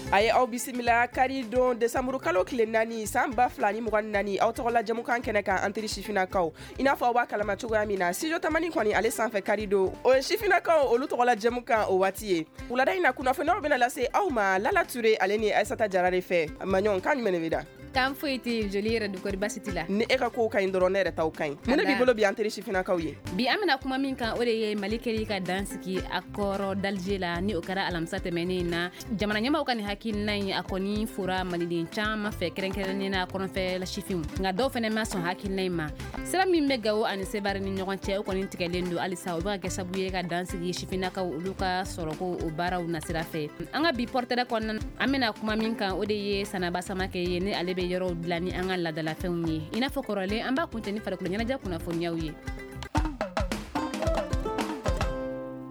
A ye aw bisimila kari don desanburu kalo tile 4 san 2024, aw tɔgɔla jɛmukan kɛnɛ kan, an teri sifinnakaw. I n'a fɔ aw b'a kalama cogoya min na, studio Tamani kɔni ale sanfɛ kari don, o ye sifinnakaw olu tɔgɔla jɛmukan o waati ye. Wulada in na, kunnafoniyaw bɛna lase aw ma Lala Ture ale ni Aissata Jara de fɛ. Maɲɔn, kan jumɛn de bɛ da? Kan foyi tɛ yen, joli yɛrɛ dukɔri basi t'i la? Ni e ka kow ka ɲi dɔrɔn, ne yɛrɛ taw ka ɲi. Mun de b'i bolo bi an teri sifinnakaw ye? Bi an bɛna kuma min kan, o de ye Mali kɛli ka dan sigi accord d'Alger la, ni o kɛra alamisa tɛmɛnen na. Jamana ɲɛmaw ka nin hakilina in, a kɔni fora maliden caman fɛ, kɛrɛnkɛrɛnnen na kɔrɔnfɛ sifinw, nka dɔw fɛnɛ ma sɔn hakilina in ma. Sira min bɛ Gawo ani Sevare ni ɲɔgɔn cɛ, o kɔni tigɛlen don halisa. O bɛ ka kɛ sababu ye ka dan sigi sifinnakaw olu ka sɔrɔko o baaraw nasira fɛ. An ka bi portrait kɔnɔna, an bɛna kuma min kan, o de ye Sanaba Samakɛ ye, ni ale bɛ yɔrɔw dilan ni an ka laadalafɛnw ye. I n'a fɔ kɔrɔlen, an b'a kuncɛ ni farikolo ɲɛnajɛ kunnafoniyaw ye.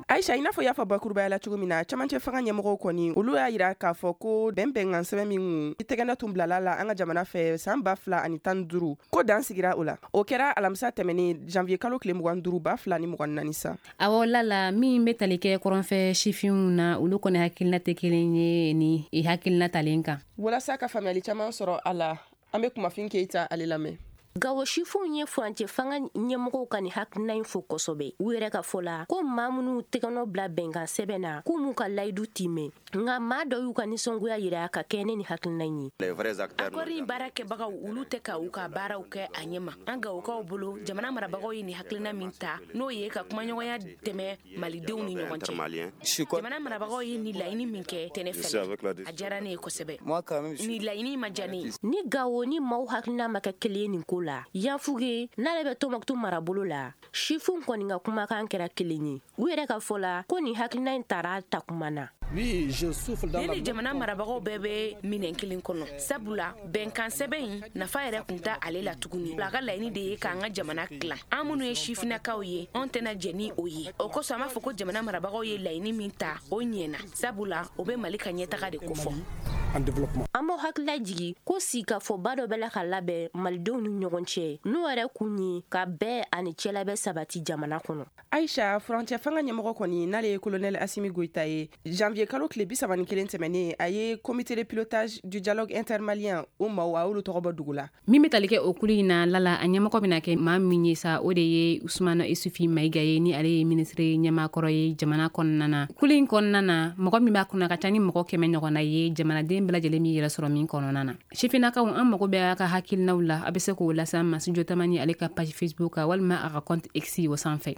Aisha, i n'a fɔ y'a fɔ bakurubaya la cogo min na, camancɛ fanga ɲɛmɔgɔw kɔni olu y'a yira k'a fɔ ko bɛn bɛnkan sɛbɛn min tɛgɛnɛ tun bilala la an ka jamana fɛ san 2015, ko dan sigira o la. O kɛra alamisa tɛmɛnen janvier kalo tile 25 2024 sa. Awɔ Lala, min bɛ tali kɛ kɔrɔnfɛ sifinw na, olu kɔni hakilina tɛ kelen ye ni i hakilina talen kan. Walasa ka faamuyali caman sɔrɔ a la, an bɛ Kumafin Keyita ale lamɛn. Gawo sifinw ye furancɛ fanga ɲɛmɔgɔw ka nin hakilina in fo kosɛbɛ. U yɛrɛ ka fɔ la ko maa minnu tɛgɛnɔ bila bɛnkan sɛbɛn na, k'u m'u ka layidu timɛ. Nka maa dɔ y'u ka nisɔngoya yira ka kɛ ne ni hakilina in ye. Accord in baara kɛbagaw, olu tɛ ka u ka baaraw kɛ a ɲɛma. An Gawokaw bolo, jamana marabagaw ye nin hakilina min ta, n'o ye ka kumaɲɔgɔnya tɛmɛ malidenw ni ɲɔgɔn cɛ. Jamana marabagaw ye nin laɲini min kɛ tɛnɛ fɛ, a diyara ne ye kosɛbɛ. Nin laɲini ma diya ne ye. Ni Gawo ni maaw hakilina ma kɛ kelen ye nin ko la, Yanfuge n'ale bɛ Tɔnbukutu marabolo la, sifinw kɔni ka kumakan kɛra kelen ye. U yɛrɛ ka fɔ la ko nin hakilina in tara takuma na. Ne ni jamana marabagaw bɛɛ bɛ minɛn kelen kɔnɔ, sabula bɛnkan sɛbɛn in nafa yɛrɛ kun tɛ ale la tuguni. A ka laɲini de ye k'an ka jamana tilan. An minnu ye sifinnakaw ye, anw tɛna jɛn ni o ye. O kosɔn an b'a fɔ ko jamana marabagaw ye laɲini min ta, o ɲɛna, sabula o bɛ Mali ka ɲɛtaga de kofɔ. An b'aw hakilila jigin ko sigikafɔba dɔ bɛ la ka labɛn malidenw ni ɲɔgɔn cɛ, n'o yɛrɛ kun ye ka bɛn ani cɛlabɛn sabati jamana kɔnɔ. Aisha, furancɛ fanga ɲɛmɔgɔ kɔni n'ale ye colonel Assimi Goïta ye, janvier kalo tile 31 tɛmɛnen, a ye comité de pilotage du dialogue intermalien o maaw, a y'olu tɔgɔ bɔ dugu la. Min bɛ tali kɛ o kulu in na Lala, a ɲɛmɔgɔ bɛna kɛ maa min ye sa, o de ye Usumana Isufi Mayiga ye, ni ale ye minisiri ɲɛmaakɔrɔ ye jamana kɔnɔna na. Kulu in kɔnɔna na, mɔgɔ min b'a kɔnɔ a ka ca ni mɔgɔ 100 ɲɔgɔnna ye, jamanaden bɛɛ lajɛlen b'i yɛrɛ sɔrɔ min kɔnɔna na. Sifinnakaw, an mago bɛ a ka hakilinaw la. A bɛ se k'o lase an ma studio Tamani ale ka page Facebook kan, walima a ka compte X o sanfɛ.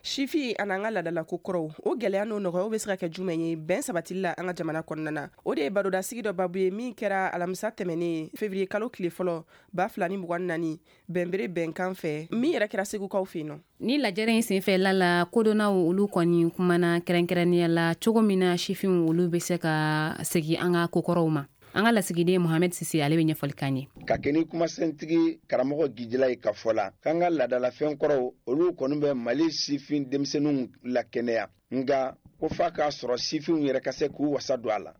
Sifi ani an ka ladalako kɔrɔw, o gɛlɛya n'o nɔgɔyaw bɛ se ka kɛ jumɛn ye bɛn sabatili la an ka jamana kɔnɔna na? O de ye barodasigi dɔ babu ye min kɛra alamisa tɛmɛnen février kalo tile fɔlɔ 2024 bɛnbere bɛnkan fɛ, min yɛrɛ kɛra Segukaw fɛ yen nɔ. Ni lajɛrɛ in senfɛ Lala, kodɔnnaw olu kɔni kumana kɛrɛnkɛrɛnnenya la cogo min na sifinw olu bɛ se ka segin an ka kokɔrɔw ma. An ka lasigiden Mohamed Sise ale bɛ ɲɛfɔli k'an ye. Ka kɛ ni kumasentigi karamɔgɔ Gijila ye ka fɔ la k'an ka laadalafɛn kɔrɔw olu kɔni bɛ Mali sifin denmisɛnninw lakɛnɛya, nka ko f'a k'a sɔrɔ sifinw yɛrɛ ka se k'u wasa don a la.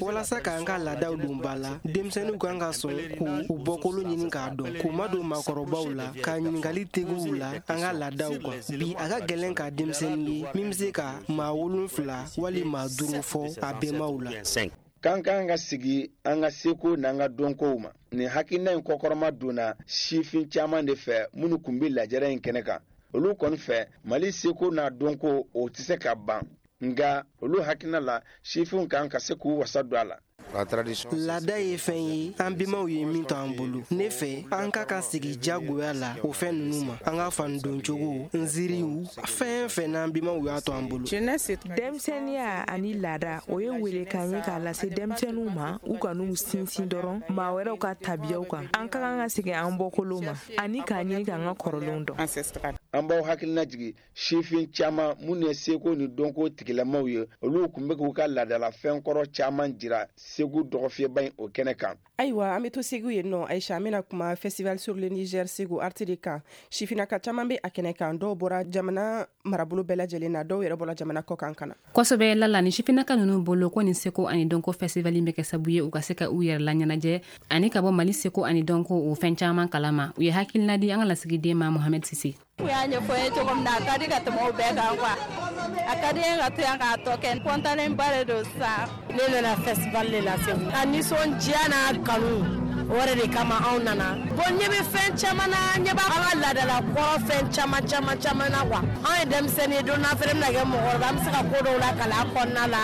Walasa k'an ka laadaw don ba la, denmisɛnninw kan ka sɔn k'u bɔkolo ɲini k'a dɔn, k'u madon maakɔrɔbaw la, ka ɲininkali tegu u la an ka laadaw kan. Bi a ka gɛlɛn ka denmisɛnnin ye min bɛ se ka maa 7 wali maa 5 fɔ a bɛnbaw la. K'an kan ka sigi an ka seko n'an ka dɔnkow ma. Nin hakilina in kɔkɔrɔma donna sifin caman de fɛ minnu kun bɛ lajɛrɛ in kɛnɛ kan. Olu kɔni fɛ, Mali seko n'a dɔnko o tɛ se ka ban, nka olu hakilina la sifinw kan ka se k'u wasa don a la. Laada ye fɛn ye an bɛnbaw ye min to an bolo. Ne fɛ, an ka ka sigi jagoya la o fɛn ninnu ma. An ka fani doncogo, nziriw, fɛn fɛn n'an bɛnbaw y'a to an bolo. Denmisɛnninya ani laada, o ye welekan ye k'a lase denmisɛnninw ma, u kan'u sinsin dɔrɔn maa wɛrɛw ka tabiyaw kan. An ka kan ka segin an bɔkolow ma ani k'a ɲini k'an ka kɔrɔlenw dɔn. An b'aw hakilina jigin sifin caman minnu ye seko ni dɔnko tigilamaw ye, olu tun bɛ k'u ka laadalafɛn kɔrɔ caman jira Segu dɔgɔfiyɛba in o kɛnɛ kan. Ayiwa, an bɛ to Segu yen nɔ Aisha, an bɛna kuma festival sur le Niger Segu Art de kan. Sifinnaka caman bɛ a kɛnɛ kan, dɔw bɔra jamana marabolo bɛɛ lajɛlen na, dɔw yɛrɛ bɔra jamana kɔ kan ka na. Kosɛbɛ Lala, ni sifinnaka ninnu bolo ko nin seko ani dɔnko festival in bɛ kɛ sababu ye u ka se ka u yɛrɛ laɲɛnajɛ ani ka bɔ Mali seko ani dɔnko o fɛn caman kalama. U ye hakilina di an ka lasigiden ma Mohamed Sise. U y'a ɲɛfɔ n ye cogo min na, a ka di ka tɛmɛ o bɛɛ kan quoi. A ka di n ye ka to yan k'a tɔ kɛ. Kɔntanenba de don sisan. Ne nana festival de la Segu. A nisɔndiya n'a kanu, o yɛrɛ de kama anw nana. Bon, ɲɛ bɛ fɛn caman na, ɲɛ b'a an ka laadala kɔrɔ fɛn caman caman caman na quoi. Anw ye denmisɛnnin ye, don n'a fɛnɛ bɛna kɛ mɔgɔkɔrɔba, an bɛ se ka ko dɔw lakali a kɔnɔna la.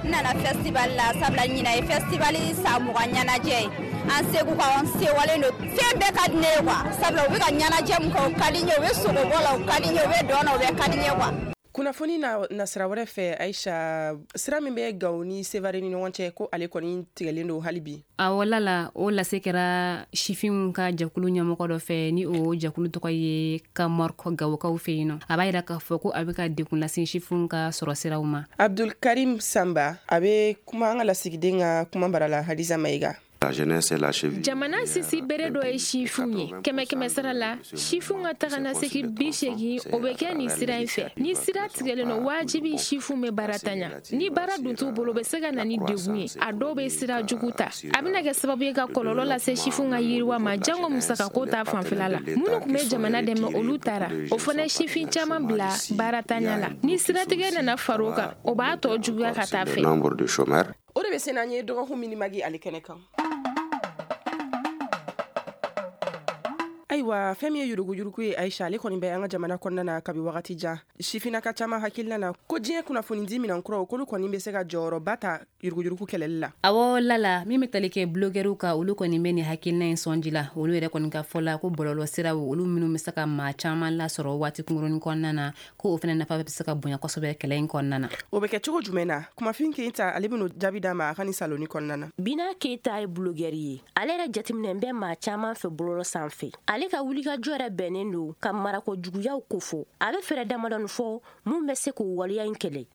N nana festival la sabula ɲinan ye festival san 20 ɲɛnajɛ ye. An Segu ka an sewalen don. Fɛn bɛɛ ka di ne ye quoi. Sabula u bɛ ka ɲɛnajɛ min kɛ, o ka di n ye, u bɛ sogobɔ la, o ka di n ye, u bɛ dɔn na, o bɛɛ ka di n ye quoi. Kunnafoni na nasira wɛrɛ fɛ, Aisha, sira min bɛ Gawo ni Sevare ni ɲɔgɔn cɛ, ko ale kɔni tigɛlen don hali bi. Awɔ lala, o lase kɛra sifinw ka jɛkulu ɲɛmɔgɔ dɔ fɛ, ni o jɛkulu tɔgɔ ye Kamɔrk Gawokaw fɛ yen nɔ. A b'a yira k'a fɔ ko a bɛ ka degun lase sifinw ka sɔrɔ siraw ma. Abdul Karim Samba, a bɛ kuma an ka lasigiden ka kuma bara la, Hadiza Mayiga. Jamana sisi bere dɔ ye sifinw ye. 100 sara la, sifinw ka taga na segin 80, o bɛ kɛ nin sira in fɛ. Ni sira tigɛlen don, wajibi sifinw bɛ baara tanya. Ni baara dun t'u bolo, o bɛ se ka na ni degun ye. A dɔw bɛ sira jugu ta, a bɛna kɛ sababu ye ka kɔlɔlɔ lase sifinw ka yiriwa ma, jango musakako ta fanfɛla la. Minnu tun bɛ jamana dɛmɛ, olu taara, o fana ye sifin caman bila baara tanya la. Ni siratigɛ nana far'o kan, o b'a tɔ juguya ka taa fɛ. O de bɛ se n'an ye dɔgɔkun minimagi ale kɛnɛ kan. Ayiwa, fɛn min ye yuruguyurugu ye, Aisha, ale kɔni bɛ an ka jamana kɔnɔna na kabi wagati jan. Sifinnaka caman hakilina na ko diɲɛ kunnafonidi minɛn kuraw, k'olu kɔni bɛ se ka jɔyɔrɔba ta yuruguyurugu kɛlɛli la. Awɔ lala, min bɛ tali kɛ blogɛriw kan, olu kɔni bɛ nin hakilina in sɔnji la. Olu yɛrɛ kɔni ka fɔ la ko bɔlɔlɔ siraw, olu minnu bɛ se ka maa caman lasɔrɔ waati kunkurunnin kɔnɔna na, ko o fana nafa bɛ se ka bonya kosɛbɛ kɛlɛ in kɔnɔna na. O bɛ kɛ cogo jumɛn na? Kumafin Keyita, ale bɛn'o jaabi d'a ma a ka nin saloni kɔnɔna na. Bina Keyita ye blogɛri ye. Ale yɛrɛ jateminɛ bɛ maa caman fɛ bɔlɔlɔ sanfɛ. Ale ka wulikajɔ yɛrɛ bɛnnen don ka marako juguyaw kofɔ. A bɛ fɛɛrɛ damadɔni fɔ mun bɛ se k'o waleya in kɛlɛ.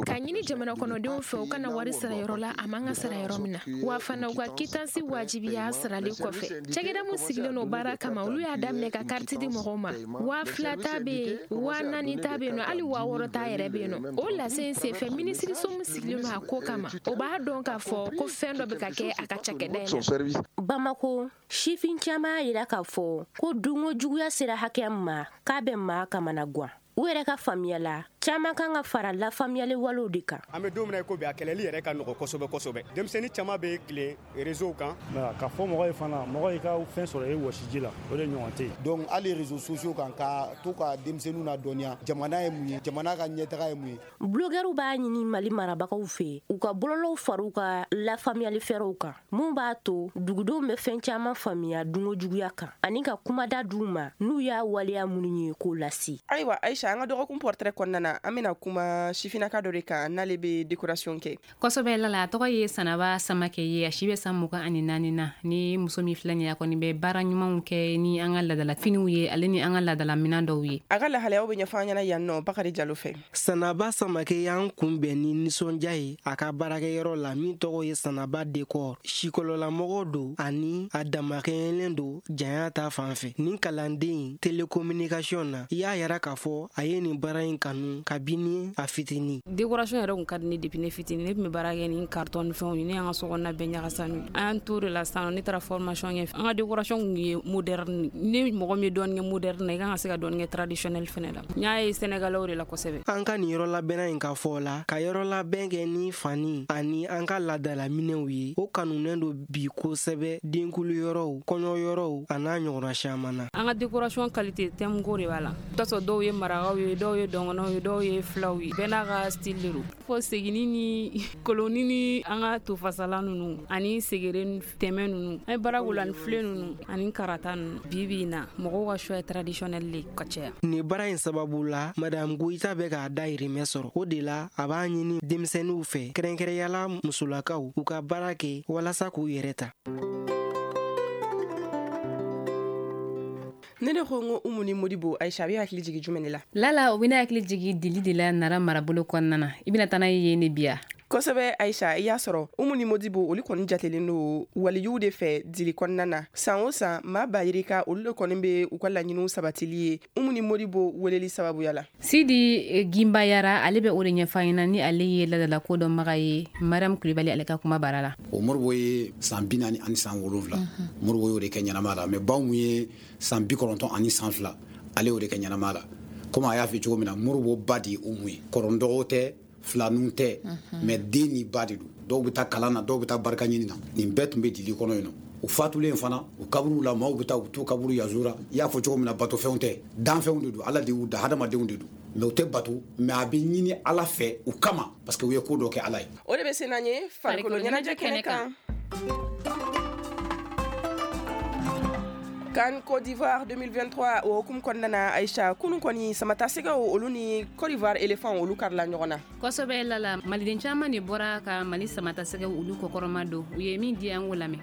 Ka ɲini jamana kɔnɔdenw fɛ, u kana wari sara yɔrɔ la a man ka sara yɔrɔ min na, wa fana u ka kitansi wajibiya sarali kɔfɛ. Cakɛda min sigilen don baara kama, olu y'a daminɛ ka kariti di mɔgɔw ma. 2000 ta bɛ yen, 4000 ta bɛ yen nɔ, hali 6000 ta yɛrɛ bɛ yen nɔ. O lase in senfɛ, minisiriso min sigilen don a ko kama, o b'a dɔn k'a fɔ ko fɛn dɔ bɛ ka kɛ a ka cakɛda in na. Bamako, sifin caman y'a yira k'a fɔ ko dunko juguya sera hakɛ min ma, k'a bɛ maa kamana gan. U yɛrɛ ka faamuya la, caman kan ka fara lafaamuyali walew de kan. An bɛ don min na i ko bi, a kɛlɛli yɛrɛ ka nɔgɔ kosɛbɛ kosɛbɛ. Denmisɛnnin caman bɛ tilen réseau kan. Ka fɔ mɔgɔ ye fana, mɔgɔ y'i ka fɛn sɔrɔ e wɔsiji la, o de ɲɔgɔn tɛ yen. Donc hali réseaux sociaux kan, ka to ka denmisɛnninw ladɔnniya jamana ye mun ye, jamana ka ɲɛtaga ye mun ye. Blogɛriw b'a ɲini Mali marabagaw fɛ, u ka bɔlɔlɔw far'u ka lafaamuyali fɛɛrɛw kan, mun b'a to dugudenw bɛ fɛn caman faamuya dunko juguya kan, ani ka kumada d'u ma n'u y'a waleya minnu ye k'o lase. Ayiwa Aisha, an ka dɔgɔkun portrait kɔnɔna na, an bɛna kuma sifinnaka dɔ de kan n'ale bɛ décoration kɛ. Kosɛbɛ lala, a tɔgɔ ye Sanaba Samakɛ ye, a si bɛ san 24 na. Ni muso min filɛ nin ye, a kɔni bɛ baara ɲumanw kɛ ni an ka laadala finiw ye, ale ni an ka laadala minɛn dɔw ye. A ka lahalayaw bɛ ɲɛfɔ an ɲɛna yan nɔ Bakari Jalo fɛ. Sanaba Samakɛ y'an kunbɛn ni nisɔndiya ye a ka baarakɛyɔrɔ la min tɔgɔ ye Sanaba Décor. Sikɔlɔlamɔgɔ don ani a damakɛɲɛlen don janya ta fan fɛ. Nin kalanden télécommunication na, i y'a yira k'a fɔ a ye nin baara in kanu kabini a fitinin. Décoration yɛrɛ kun ka di ne depuis ne fitinin. Ne tun bɛ baara kɛ ni carton ni fɛnw ye, ne y'an ka sokɔnɔna bɛɛ ɲagasa n'u ye. An y'an t'o de la sisan, ne taara formation kɛ. An ka décoration kun ye moderne. Ni mɔgɔ min ye dɔɔnin kɛ moderne na, i kan ka se ka dɔɔnin kɛ traditionnel fɛnɛ la. N y'a ye Sénégalais de la kosɛbɛ. An ka nin yɔrɔ labɛnna in ka fɔ la, ka yɔrɔ labɛn kɛ ni fani ani an ka laadala minɛnw ye, o kanunen don bi kosɛbɛ denkulu yɔrɔw, kɔɲɔ yɔrɔw a n'a ɲɔgɔnna caman na. An ka décoration qualité thème ko de b'a la. I bɛ t'a sɔrɔ dɔw ye marakaw ye, dɔw ye dɔngɔnɔw ye, dɔw ye filaw ye, bɛɛ n'a ka style de don. Fo segini ni koloni ni an ka tofasala ninnu ani segere tɛmɛ ninnu, an ye baara k'o la ni filen ninnu ani karata ninnu. Bi bi in na, mɔgɔw ka choix ye traditionnel de ka caya. Nin baara in sababu la, Madame Goyita bɛ k'a dahirimɛ sɔrɔ. O de la, a b'a ɲini denmisɛnninw fɛ, kɛrɛnkɛrɛnyala musolakaw, u ka baara kɛ walasa k'u yɛrɛ ta. Ne de ko n ko Umu ni Modibo, Aisha, a bɛ hakili jigin jumɛn de la? Lala, o bɛ ne hakili jigin dili de la Nara marabolo kɔnɔna na. I bɛna taa n'a ye yen de bi ya? Kosɛbɛ Aisha, i y'a sɔrɔ Umu ni Modibo, olu kɔni jatelen don waliyuw de fɛ dili kɔnɔna na. San o san, maa ba yirika olu de kɔni bɛ u ka laɲiniw sabatili ye Umu ni Modibo weleli sababuya la. Sidi Gimbayara, ale bɛ o de ɲɛfɔ an ɲɛna ni ale ye ladala ko dɔnbaga ye Mariam Kulibali ale ka kuma baara la. O Modibo ye san 47, Modibo y'o de kɛ ɲɛnama la, mais baw ye san 92, Ale y'o de kɛ ɲɛnamaya la. Komi a y'a fɔ cogo min na, Moribo ba de ye Umu ye, kɔrɔndɔgɔ tɛ, filaninw tɛ, mais den ni ba de don. Dɔw bɛ taa kalan na, dɔw bɛ taa barika ɲini na. Nin bɛɛ tun bɛ dili kɔnɔ yen nɔ. U fatulen fana, u kaburu la, maaw bɛ taa, u bɛ t'u kaburu yazura. I y'a fɔ cogo min na, batofɛnw tɛ, danfɛnw de don. Ala de y'u da, hadamadenw de don, mais u tɛ bato, mais a bɛ ɲini Ala fɛ u kama, parce que u ye ko dɔ kɛ Ala ye. O de bɛ se n'an ye farikolo ɲɛnajɛ kɛnɛ kan. CAN Côte d'Ivoire 2023, o hukumu kɔnɔna na, Aïcha, kunun kɔni samatasɛgɛw olu ni Côte d'Ivoire éléphant olu karila ɲɔgɔn na. Kosɛbɛ lala, maliden caman de bɔra ka Mali samatasɛgɛw olu kɔkɔrɔma don. U ye min di, an k'o lamɛn.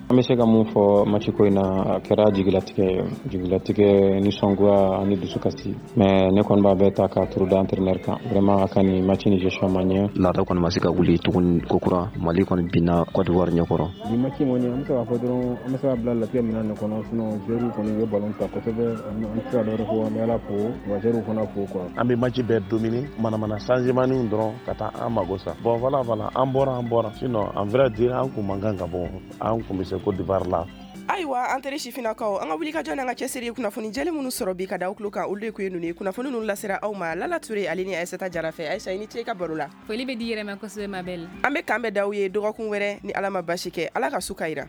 An bɛ se ka mun fɔ match ko in na? A kɛra jigilatigɛ, nisɔngoya ani dusukasi, mais ne kɔni b'a bɛɛ ta k'a turu da entraîneur kan. Vraiment, a ka nin match ni gestion ma ɲɛ. Laada kɔni ma se ka wuli tuguni kokura. Mali kɔni binna Côte d'Ivoire ɲɛkɔrɔ. Bi match in kɔni, an bɛ se k'a fɔ dɔrɔn, an bɛ se ka bila latigɛ minɛn de kɔnɔ. Sinon joueurs kɔni, u ye ballon ta kosɛbɛ. An tɛ se ka dɔwɛrɛ fɔ, an bɛ Ala fo wa joueurs fana fo quoi. An bɛ match bɛɛ dominer, manamana changement dɔrɔn ka taa an mago sa. Bon, voilà, an bɔra, an bɔra. Sinon, en vrai dire, an kun man kan ka bɔ, an kun bɛ se Côte d'Ivoire la. Ayiwa, an teri sifinnakaw, an ka wulikajɔ n'an ka cɛsiri, kunnafoni jɛlen minnu sɔrɔ bi ka da aw tulo kan, olu de kun ye ninnu ye. Kunnafoni ninnu lasera aw ma Lala Ture ale ni Ayisata Jara fɛ. Ayisa, i ni ce i ka baro la. Foli bɛ di yɛrɛ ma kosɛbɛ, ma belle. An bɛ kan bɛ daw ye dɔgɔkun wɛrɛ ni Ala ma basi kɛ. Ala ka su ka yira.